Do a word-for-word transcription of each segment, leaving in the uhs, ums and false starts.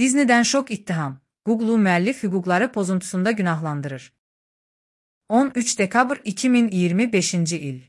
Disney'dən şok ittiham. Google-u müəllif hüquqları pozuntusunda günahlandırır. on üç dekabr iki min iyirmi beşinci il.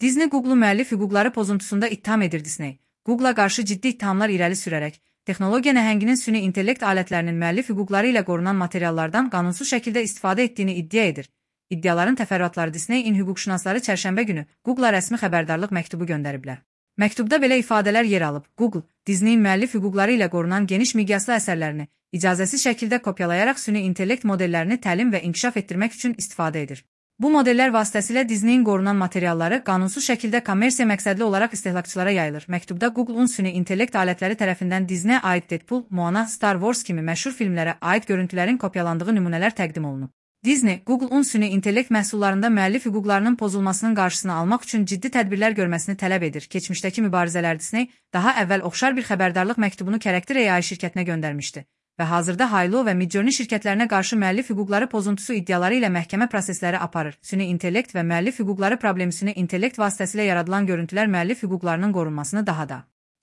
Disney Google-u müəllif hüquqları pozuntusunda ittiham edir. Disney, Google-a qarşı ciddi ittihamlar irəli sürərək, texnologiya nəhənginin süni intellekt alətlərinin müəllif hüquqları ilə qorunan materiallardan qanunsuz şəkildə istifadə etdiyini iddia edir. İddiaların təfərrüatları Disney-in hüquqşünasları çərşənbə günü Google-a rəsmi xəbərdarlıq məktubu göndəriblər. Məktubda belə ifadələr yer alıb. Google, Disney-in müəllif hüquqları ilə qorunan geniş miqyaslı əsərlərini icazəsiz şəkildə kopyalayaraq süni intellekt modellərini təlim və inkişaf etdirmək üçün istifadə edir. Bu modellər vasitəsilə Disney-in qorunan materialları qanunsuz şəkildə kommersiya məqsədli olaraq istehlakçılara yayılır. Məktubda Google-un süni intellekt alətləri tərəfindən Disney-ə aid Deadpool, Moana, Star Wars kimi məşhur filmlərə aid görüntülərin kopyalandığı nümunələr təqdim olunub. Disney, Google-un süni intellekt məhsullarında müəllif hüquqlarının pozulmasının qarşısını almaq üçün ciddi tədbirlər görməsini tələb edir. Keçmişdəki mübarizələr Disney daha əvvəl oxşar bir xəbərdarlıq məktubunu Character A I şirkətinə göndərmişdi və hazırda Halo və Midjourney şirkətlərinə qarşı müəllif hüquqları pozuntusu iddiaları ilə məhkəmə prosesləri aparır. Süni intellekt və müəllif hüquqları problemi süni intellekt vasitəsilə yaradılan görüntülər müəllif hüquqlarının qorunmasını daha da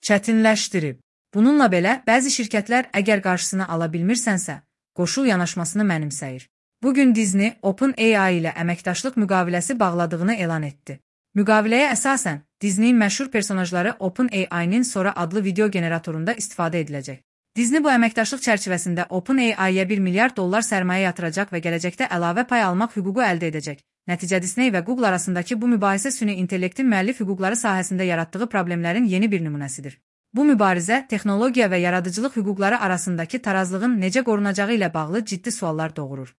çətinləşdirib. Bununla belə, bəzi şirkətlər əgər qarşısını ala bilmirsənsə, qoşul yanaşmasını mənimsəyir. Bugün Disney, OpenAI ilə əməkdaşlıq müqaviləsi bağladığını elan etdi. Müqaviləyə əsasən, Disney-in məşhur personajları OpenAI-nin Sora adlı video generatorunda istifadə ediləcək. Disney bu əməkdaşlıq çərçivəsində OpenAI-yə bir milyard dollar sərmayə yatıracaq və gələcəkdə əlavə pay almaq hüququ əldə edəcək. Nəticə Disney və Google arasındakı bu mübahisə süni intellektin müəllif hüquqları sahəsində yaratdığı problemlərin yeni bir nümunəsidir. Bu mübarizə, texnologiya və yaradıcılıq hüquqları arasındakı tarazlığın necə qorunacağı ilə bağlı ciddi suallar doğurur.